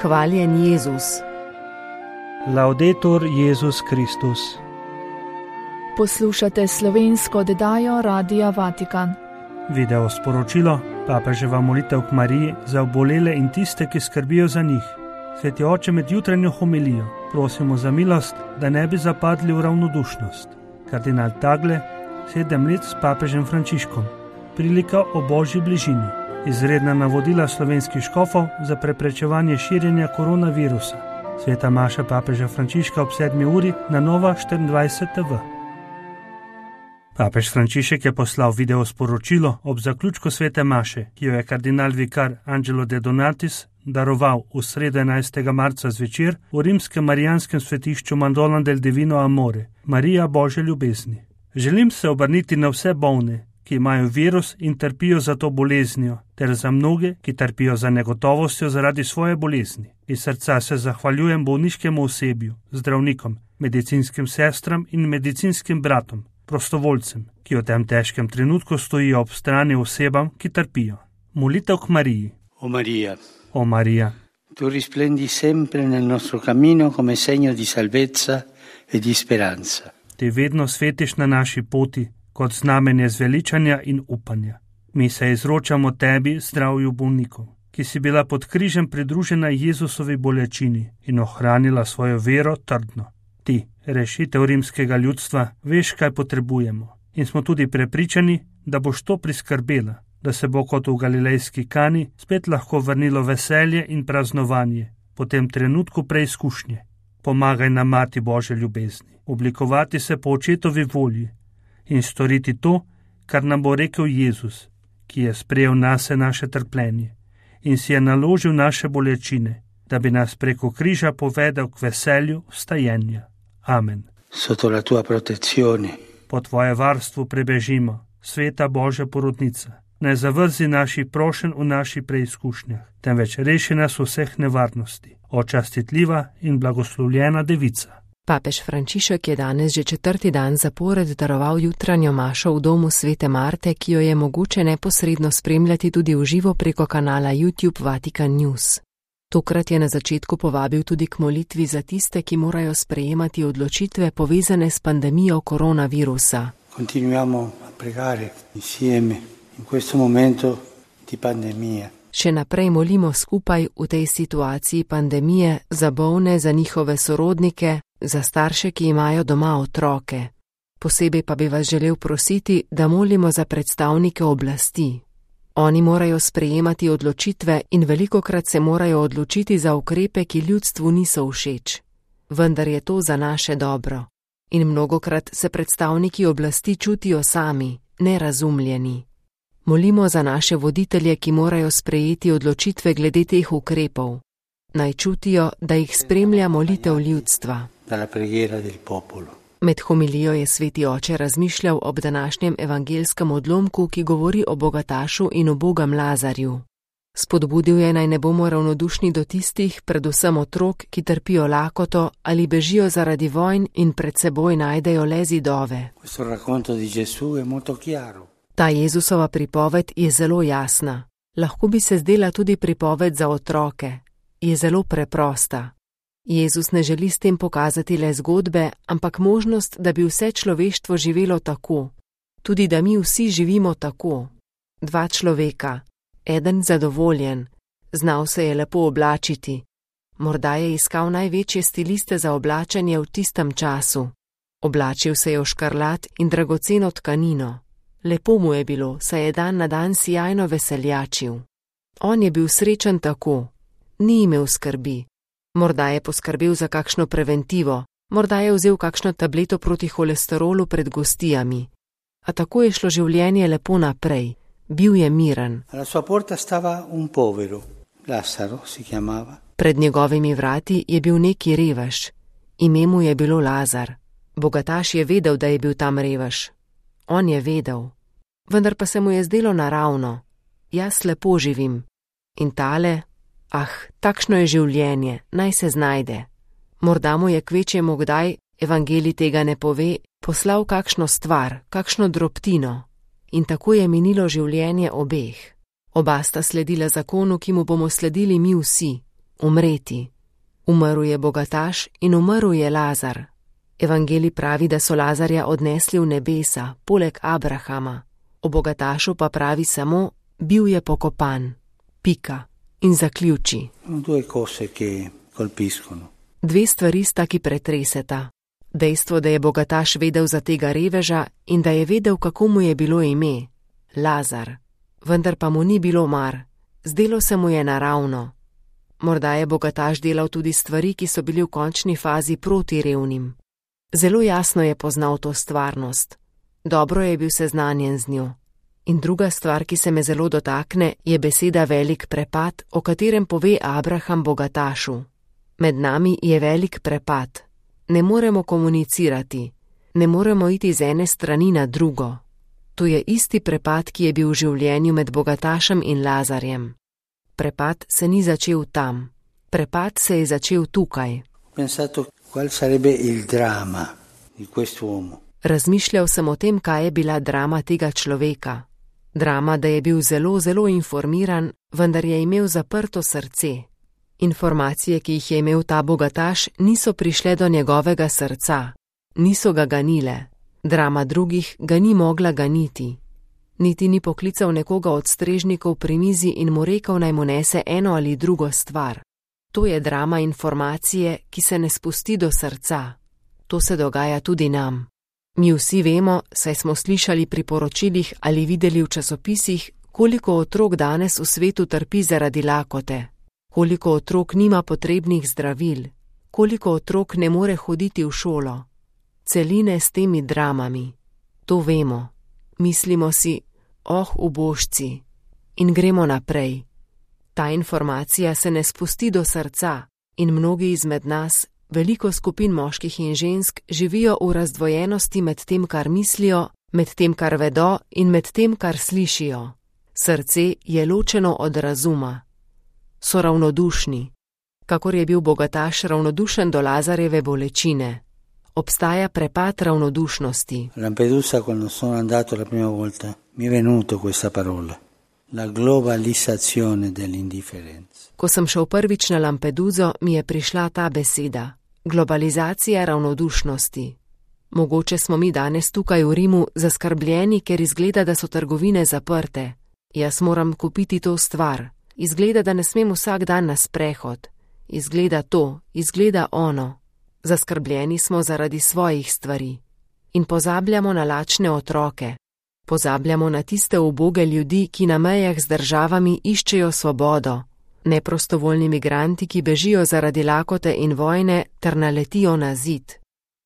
Hvaljen Jezus. Laudetur Jezus Kristus. Poslušate slovensko oddajo Radia Vatikan. Video sporočilo, papeževa molitev k Mariji za obolele in tiste, ki skrbijo za njih. Sveti oče, med jutranjo homilijo prosimo za milost, da ne bi zapadli v ravnodušnost. Kardinal Tagle, 7 let s papežem Frančiškom. Prilika o božji bližini. Izredna navodila slovenskih škofov za preprečevanje širjenja koronavirusa. Sveta maša papeža Frančiška ob 7. uri na Nova 24 TV. Papež Frančišek je poslal video sporočilo ob zaključku svete maše, ki jo je kardinal vikar Angelo De Donatis daroval v sredo 11. marca zvečer v rimskem marijanskem svetišču Madonna del Divino Amore, Marija Božje ljubezni. Želim se obrniti na vse bolne, ki imajo virus in trpijo za to boleznijo, ter za mnoge, ki trpijo za negotovostjo zaradi svoje bolezni. Iz srca se zahvaljujem bolniškemu osebju, zdravnikom, medicinskim sestram in medicinskim bratom, prostovoljcem, ki v tem težkem trenutku stojijo ob strani osebam, ki trpijo. Molitev k Mariji. O Maria, O Marija, tu risplendi sempre nel nostro cammino come segno di salvezza e di speranza. ti vedno svetiš na naši poti kot znamenje zveličanja in upanja. Mi se izročamo tebi, zdravju bolnikov, ki si bila pod križem pridružena Jezusovi bolečini in ohranila svojo vero trdno. Ti, rešitev rimskega ljudstva, veš, kaj potrebujemo, in smo tudi prepričani, da boš to priskrbela, da se bo kot v galilejski Kani spet lahko vrnilo veselje in praznovanje po tem trenutku preizkušnje. Pomagaj nam, Mati Božje ljubezni, oblikovati se po očetovi volji in storiti to, kar nam bo rekel Jezus, ki je sprejel nase naše trpljenje in si je naložil naše bolečine, da bi nas preko križa povedal k veselju vstajenja. Amen. Sotto la tua protezione, Po tvoje varstvo prebežimo, sveta Božja porodnica. Ne zavrzi naših prošenj v naših preizkušnjah, temveč reši nas vseh nevarnosti. O častitljiva in blagoslovljena devica. Papež Frančišek je danes že 4. dan zapored daroval jutranjo mašo v domu svete Marte, ki jo je mogoče neposredno spremljati tudi v živo preko kanala YouTube Vatikan News. Tokrat je na začetku povabil tudi k molitvi za tiste, ki morajo sprejemati odločitve povezane s pandemijo koronavirusa. continuiamo a pregare insieme in questo momento di pandemia. Še naprej molimo skupaj v tej situaciji pandemije za bolne, za njihove sorodnike, za starše, ki imajo doma otroke. Posebej pa bi vas želel prositi, da molimo za predstavnike oblasti. Oni morajo sprejemati odločitve in velikokrat se morajo odločiti za ukrepe, ki ljudstvu niso všeč. Vendar je to za naše dobro. In mnogokrat se predstavniki oblasti čutijo sami, nerazumljeni. Molimo za naše voditelje, ki morajo sprejeti odločitve glede teh ukrepov. Naj čutijo, da jih spremlja molitev ljudstva. Dalla preghiera del popolo. Med homilijo je sveti oče razmišljal ob današnjem evangelskem odlomku, ki govori o bogatašu in ubogem Lazarju. Spodbudil je, naj ne bomo ravnodušni do tistih, predvsem otrok, ki trpijo lakoto ali bežijo zaradi vojn in pred seboj najdejo le zidove. Questo racconto di Gesù è molto chiaro. Ta Jezusova pripoved je zelo jasna. Lahko bi se zdela tudi pripoved za otroke. Je zelo preprosta. Jezus ne želi s tem pokazati le zgodbe, ampak možnost, da bi vse človeštvo živelo tako. Tudi da mi vsi živimo tako. 2 človeka. Eden zadovoljen. Znal se je lepo oblačiti. Morda je iskal največje stiliste za oblačenje v tistem času. Oblačil se je v škarlat in dragoceno tkanino. Lepo mu je bilo, saj je dan na dan sijajno veseljačil. On je bil srečen tako. Ni imel skrbi. Morda je poskrbel za kakšno preventivo, morda je vzel kakšno tableto proti holesterolu pred gostijami. A tako je šlo življenje lepo naprej. Bil je miren. Alla sua porta stava un povero, Lazzaro si chiamava. Pred njegovimi vrati je bil neki revež. Ime mu je bilo Lazar. Bogataš je vedel, da je bil tam revež. On je vedel. Vendar pa se mu je zdelo naravno. Jaz lepo živim. In tale, takšno je življenje, naj se znajde. Morda mu je kvečjemu kdaj, evangelij tega ne pove, poslal kakšno stvar, kakšno drobtino. In tako je minilo življenje obeh. Oba sta sledila zakonu, ki mu bomo sledili mi vsi. umreti. Umrl je bogataš in umrl je Lazar. Evangelij pravi, da so Lazarja odnesli v nebesa, poleg Abrahama. O bogatašu pa pravi samo, bil je pokopan. Pika. In zaključi. Dve stvari sta, ki pretreseta. Dejstvo, da je bogataš vedel za tega reveža in da je vedel, kako mu je bilo ime. Lazar. Vendar pa mu ni bilo mar. Zdelo se mu je naravno. Morda je bogataš delal tudi stvari, ki so bili v končni fazi proti revnim. Zelo jasno je poznal to stvarnost. Dobro je bil seznanjen z njo. In druga stvar, ki se me zelo dotakne, je beseda velik prepad, o katerem pove Abraham bogatašu. Med nami je velik prepad. Ne moremo komunicirati. Ne moremo iti z ene strani na drugo. To je isti prepad, ki je bil v življenju med bogatašem in Lazarjem. Prepad se ni začel tam. Prepad se je začel tukaj. Razmišljal sem o tem, kaj je bila drama tega človeka. Drama, da je bil zelo, zelo informiran, vendar je imel zaprto srce. Informacije, ki jih je imel ta bogataš, niso prišle do njegovega srca. Niso ga ganile. Drama drugih ga ni mogla ganiti. Niti ni poklical nekoga od strežnikov pri mizi in mu rekel, naj mu nese eno ali drugo stvar. To je drama informacije, ki se ne spusti do srca. To se dogaja tudi nam. Mi vsi vemo, saj smo slišali pri poročilih ali videli v časopisih, koliko otrok danes v svetu trpi zaradi lakote, koliko otrok nima potrebnih zdravil, koliko otrok ne more hoditi v šolo. Celine s temi dramami. To vemo. Mislimo si, ubožci, in gremo naprej. Ta informacija se ne spusti do srca in mnogi izmed nas, veliko skupin moških in žensk, živijo v razdvojenosti med tem, kar mislijo, med tem, kar vedo in med tem, kar slišijo. Srce je ločeno od razuma. So ravnodušni. Kakor je bil bogataš ravnodušen do Lazarjeve bolečine. Obstaja prepad ravnodušnosti. Lampedusa, quando sono andato la prima volta, mi è venuto questa parola. La globalizzazione dell'indifferenza. Ko sem šel prvič na Lampeduso, mi je prišla ta beseda. Globalizacija ravnodušnosti. Mogoče smo mi danes tukaj v Rimu zaskrbljeni, ker izgleda, da so trgovine zaprte. Jaz moram kupiti to stvar. Izgleda, da ne smem vsak dan na sprehod. Izgleda to, izgleda ono. Zaskrbljeni smo zaradi svojih stvari. In pozabljamo na lačne otroke. Pozabljamo na tiste uboge ljudi, ki na mejah z državami iščejo svobodo. Neprostovoljni migranti, ki bežijo zaradi lakote in vojne, ter naletijo na zid.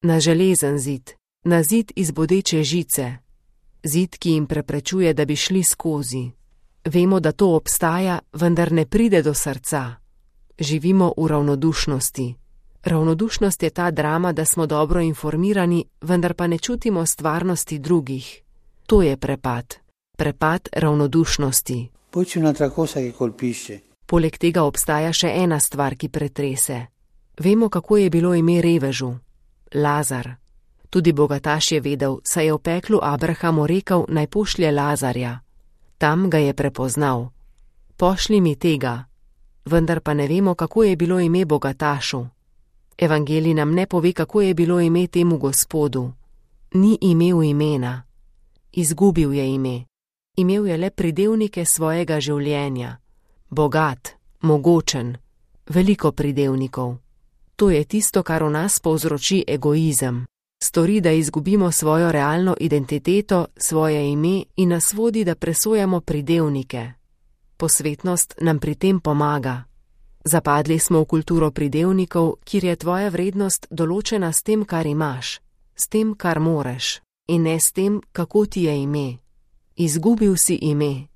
Na železen zid. Na zid iz bodeče žice. Zid, ki jim preprečuje, da bi šli skozi. Vemo, da to obstaja, vendar ne pride do srca. Živimo v ravnodušnosti. Ravnodušnost je ta drama, da smo dobro informirani, vendar pa ne čutimo stvarnosti drugih. To je prepad. Prepad ravnodušnosti. Poleg tega obstaja še ena stvar, ki pretrese. Vemo, kako je bilo ime revežu. Lazar. Tudi bogataš je vedel, saj je v peklu Abrahamu rekel, naj pošlje Lazarja. Tam ga je prepoznal. Pošli mi tega. Vendar pa ne vemo, kako je bilo ime bogatašu. Evangelij nam ne pove, kako je bilo ime temu Gospodu. Ni imel imena. Izgubil je ime. Imel je le pridevnike svojega življenja. Bogat, mogočen, veliko pridevnikov. To je tisto, kar v nas povzroči egoizem. Stori, da izgubimo svojo realno identiteto, svoje ime in nas vodi, da presojamo pridevnike. Posvetnost nam pri tem pomaga. Zapadli smo v kulturo pridevnikov, kjer je tvoja vrednost določena s tem, kar imaš, s tem, kar moreš, in ne s tem, kako ti je ime. Izgubil si ime.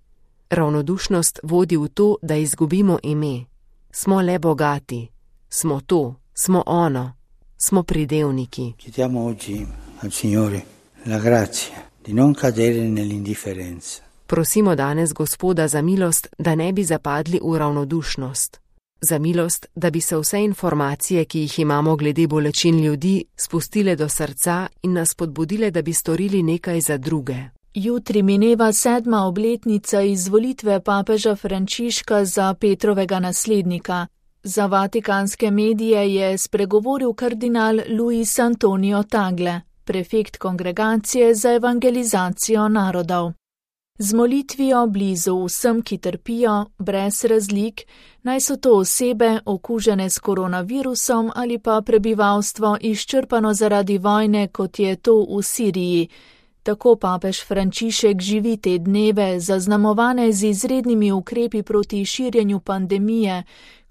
Ravnodušnost vodi v to, da izgubimo ime. Smo le bogati. Smo to, smo ono. Smo pridevniki. Chiediamo oggi al Signore la grazia di non cadere nell'indifferenza. Prosimo danes Gospoda za milost, da ne bi zapadli v ravnodušnost. Za milost, da bi se vse informacije, ki jih imamo glede bolečin ljudi, spustile do srca in nas spodbudile, da bi storili nekaj za druge. Jutri mineva 7. obletnica izvolitve papeža Frančiška za Petrovega naslednika. Za vatikanske medije je spregovoril kardinal Luis Antonio Tagle, prefekt Kongregacije za evangelizacijo narodov. Z molitvijo blizu vsem, ki trpijo, brez razlik, naj so to osebe okužene s koronavirusom ali pa prebivalstvo izčrpano zaradi vojne, kot je to v Siriji. Tako papež Frančišek živi te dneve, zaznamovane z izrednimi ukrepi proti širjenju pandemije,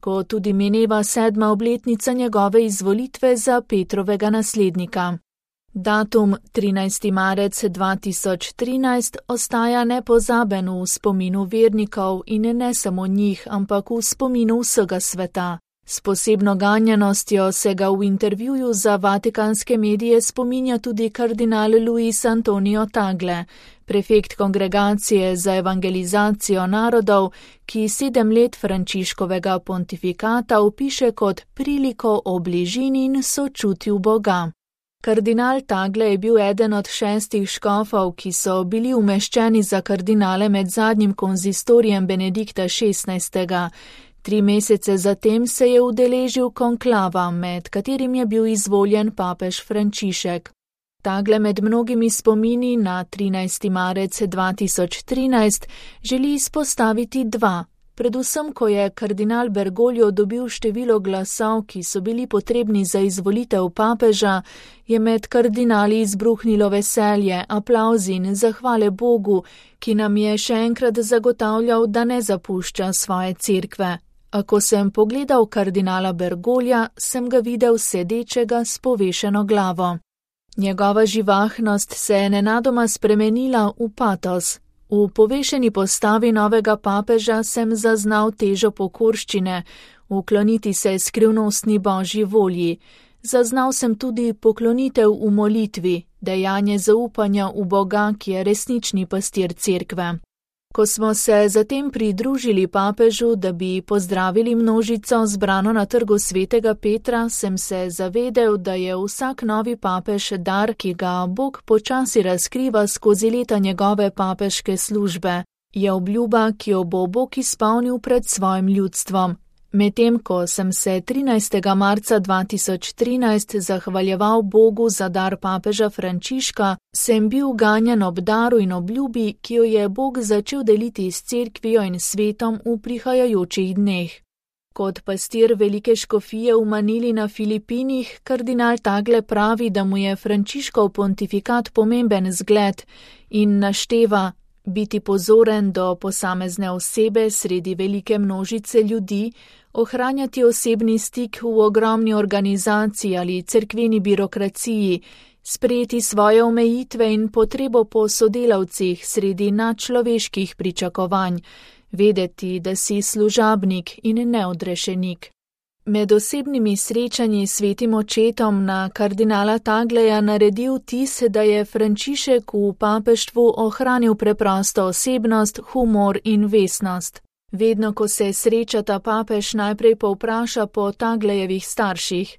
ko tudi mineva 7. obletnica njegove izvolitve za Petrovega naslednika. Datum 13. marec 2013 ostaja nepozaben v spominu vernikov in ne samo njih, ampak v spominu vsega sveta. S posebno ganjenostjo se ga v intervjuju za vatikanske medije spominja tudi kardinal Luis Antonio Tagle, prefekt Kongregacije za evangelizacijo narodov, ki 7 let Frančiškovega pontifikata opiše kot priliko o bližini in sočutju Boga. Kardinal Tagle je bil eden od 6 škofov, ki so bili umeščeni za kardinale med zadnjim konzistorijem Benedikta XVI. 3 mesece zatem se je udeležil konklava, med katerim je bil izvoljen papež Frančišek. Tagle med mnogimi spomini na 13. marec 2013 želi izpostaviti 2. Predvsem, ko je kardinal Bergoglio dobil število glasov, ki so bili potrebni za izvolitev papeža, je med kardinali izbruhnilo veselje, aplavzi in zahvale Bogu, ki nam je še enkrat zagotavljal, da ne zapušča svoje cerkve. A ko sem pogledal kardinala Bergoglja, sem ga videl sedečega s povešeno glavo. Njegova živahnost se je nenadoma spremenila v patos. V povešeni postavi novega papeža sem zaznal težo pokorščine, ukloniti se skrivnostni Božji volji. Zaznal sem tudi poklonitev v molitvi, dejanje zaupanja v Boga, ki je resnični pastir cerkve. Ko smo se zatem pridružili papežu, da bi pozdravili množico zbrano na trgu svetega Petra, sem se zavedel, da je vsak novi papež dar, ki ga Bog počasi razkriva skozi leta njegove papeške službe. Je obljuba, ki jo bo Bog izpolnil pred svojim ljudstvom. Medtem ko sem se 13. marca 2013 zahvaljeval Bogu za dar papeža Frančiška, sem bil ganjen ob daru in obljubi, ki jo je Bog začel deliti s cerkvijo in svetom v prihajajočih dneh. Kot pastir velike škofije v Manili na Filipinih, kardinal Tagle pravi, da mu je Frančiškov pontifikat pomemben zgled in našteva biti pozoren do posamezne osebe sredi velike množice ljudi, ohranjati osebni stik v ogromni organizaciji ali cerkveni birokraciji, sprejeti svoje omejitve in potrebo po sodelavcih sredi nadčloveških pričakovanj, vedeti, da si služabnik in neodrešenik. Med osebnimi srečanji s svetim očetom na kardinala Tagleja naredil vtis, da je Frančišek v papeštvu ohranil preprosto osebnost, humor in vestnost. Vedno, ko se srečata, papež najprej povpraša po Taglejevih starših.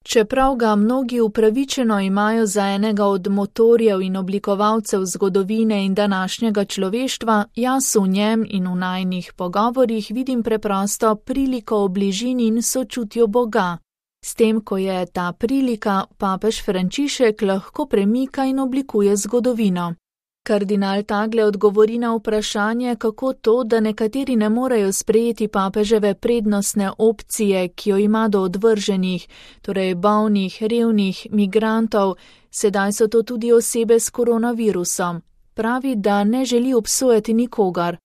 Čeprav ga mnogi upravičeno imajo za enega od motorjev in oblikovalcev zgodovine in današnjega človeštva, jaz v njem in v najnih pogovorih vidim preprosto priliko o bližini in sočutju Boga. S tem, ko je ta prilika, papež Frančišek lahko premika in oblikuje zgodovino. Kardinal Tagle odgovori na vprašanje, kako to, da nekateri ne morejo sprejeti papeževe prednostne opcije, ki jo ima do odvrženih, torej bolnih, revnih, migrantov, sedaj so to tudi osebe s koronavirusom. Pravi, da ne želi obsojati nikogar.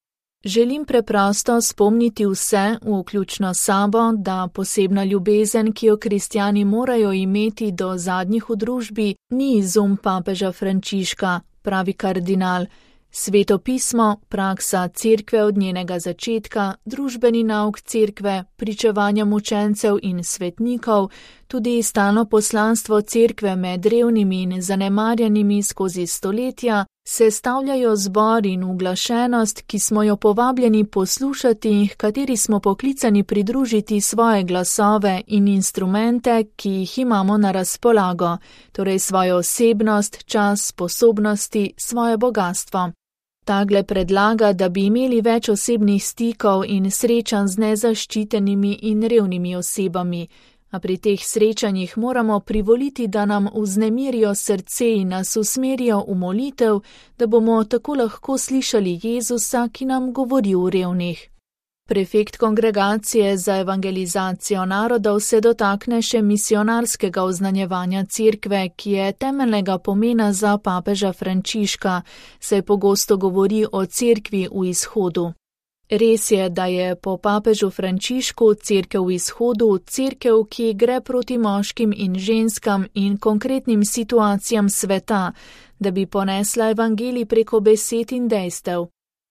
Želim preprosto spomniti vse, vključno sabo, da posebna ljubezen, ki jo kristjani morajo imeti do zadnjih v družbi, ni izum papeža Frančiška, pravi kardinal. Sveto pismo, praksa cerkve od njenega začetka, družbeni nauk cerkve, pričevanja mučencev in svetnikov, tudi stalno poslanstvo cerkve med revnimi in zanemarjenimi skozi stoletja, sestavljajo zbor in uglašenost, ki smo jo povabljeni poslušati, kateri smo poklicani pridružiti svoje glasove in instrumente, ki jih imamo na razpolago, torej svojo osebnost, čas, sposobnosti, svoje bogatstvo. Tagle predlaga, da bi imeli več osebnih stikov in srečanj z nezaščitenimi in revnimi osebami, a pri teh srečanjih moramo privoliti, da nam vznemirijo srce in nas usmerijo v molitev, da bomo tako lahko slišali Jezusa, ki nam govori o revnih. Prefekt Kongregacije za evangelizacijo narodov se dotakne še misionarskega oznanjevanja cerkve, ki je temeljnega pomena za papeža Frančiška, saj pogosto govori o cerkvi v izhodu. Res je, da je po papežu Frančišku cerkev v izhodu cerkev, ki gre proti moškim in ženskam in konkretnim situacijam sveta, da bi ponesla evangelij preko besed in dejstev.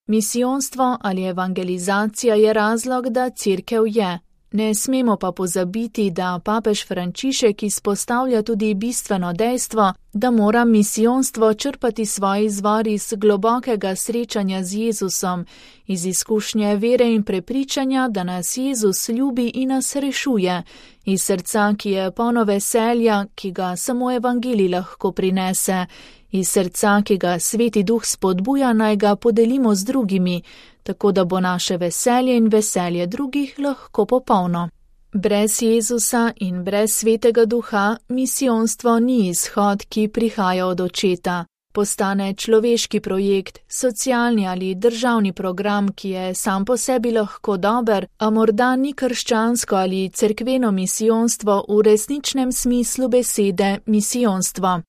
Misijonstvo ali evangelizacija je razlog, da cerkev je. Ne smemo pa pozabiti, da papež Frančišek izpostavlja tudi bistveno dejstvo, da mora misijonstvo črpati svoj izvor iz globokega srečanja z Jezusom, iz izkušnje vere in prepričanja, da nas Jezus ljubi in nas rešuje, iz srca, ki je polno veselja, ki ga samo evangelij lahko prinese, iz srca, ki ga Sveti Duh spodbuja, naj ga podelimo z drugimi, tako da bo naše veselje in veselje drugih lahko popolno. Brez Jezusa in brez Svetega Duha misijonstvo ni izhod, ki prihaja od Očeta. Postane človeški projekt, socialni ali državni program, ki je sam po sebi lahko dober, a morda ni krščansko ali cerkveno misijonstvo v resničnem smislu besede misijonstvo.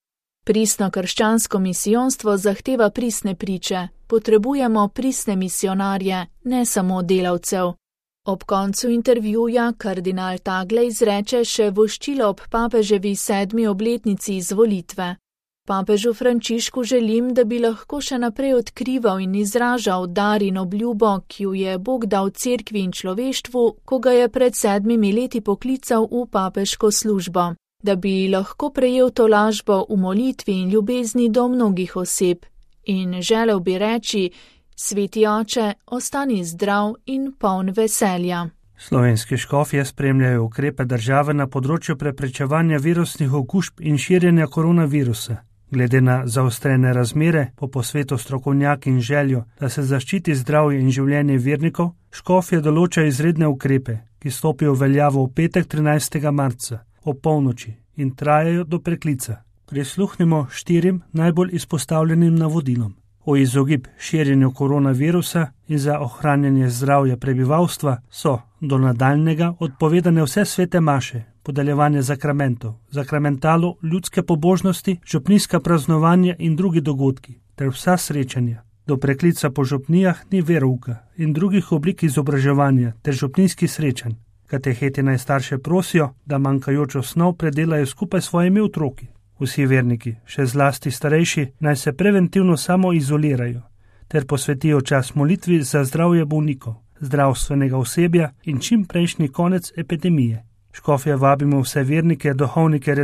Pristno krščansko misijonstvo zahteva pristne priče, potrebujemo pristne misionarje, ne samo delavcev. Ob koncu intervjuja kardinal Tagle izreče še voščilo ob papeževi 7. obletnici izvolitve. Papežu Frančišku želim, da bi lahko še naprej odkrival in izražal dar in obljubo, ki jo je Bog dal cerkvi in človeštvu, ko ga je pred 7 leti poklical v papeško službo. Da bi lahko prejel tolažbo v molitvi in ljubezni do mnogih oseb. In želel bi reči, Sveti Oče, ostani zdrav in poln veselja. Slovenski škofje spremljajo ukrepe države na področju preprečevanja virusnih okužb in širjenja koronavirusa. Glede na zaostrene razmere, po posvetu strokovnjaki in željo, da se zaščiti zdravje in življenje vernikov, škofje določajo izredne ukrepe, ki stopijo v veljavo v petek 13. marca. O polnoči in trajajo do preklica. Prisluhnimo 4 najbolj izpostavljenim navodilom. O izogib širjenju koronavirusa in za ohranjanje zdravja prebivalstva so do nadaljnjega odpovedane vse svete maše, podeljevanje zakramentov, zakramentalo, ljudske pobožnosti, župnijska praznovanja in drugi dogodki, ter vsa srečanja. Do preklica po župnijah ni verouka in drugih oblik izobraževanja ter župnijskih srečanj. Kateheti naj starše prosijo, da manjkajočo snov predelajo skupaj s svojimi otroki. Vsi verniki, še zlasti starejši, naj se preventivno samo izolirajo, ter posvetijo čas molitvi za zdravje bolnikov, zdravstvenega osebja in čim prejšnji konec epidemije. Škofje vabimo vse vernike, duhovnike,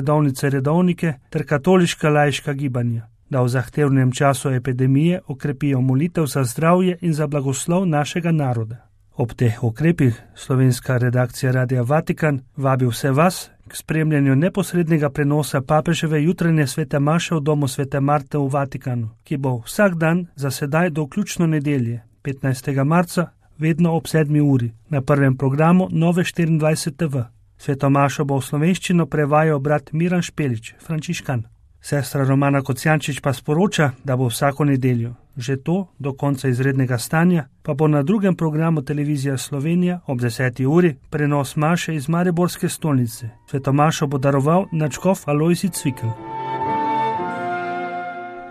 redovnike ter katoliška laiška gibanja, da v zahtevnem času epidemije okrepijo molitev za zdravje in za blagoslov našega naroda. Ob teh ukrepih slovenska redakcija Radia Vatikan vabi vse vas k spremljanju neposrednega prenosa papeževe jutranje svete maše v domu svete Marte v Vatikanu, ki bo vsak dan za sedaj do vključno nedelje, 15. marca, vedno ob 7. uri, na prvem programu Nove 24 TV. Sveto mašo bo v slovenščino prevajal brat Miran Špelič, frančiškan. Sestra Romana Kocijančič pa sporoča, da bo vsako nedeljo, že to do konca izrednega stanja, pa bo na drugem programu Televizija Slovenija ob 10. uri prenos maše iz Mariborske stolnice. Sveto mašo bo daroval nadškof Alojzij Cvikl.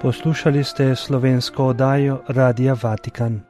Poslušali ste slovensko oddajo Radia Vatikan.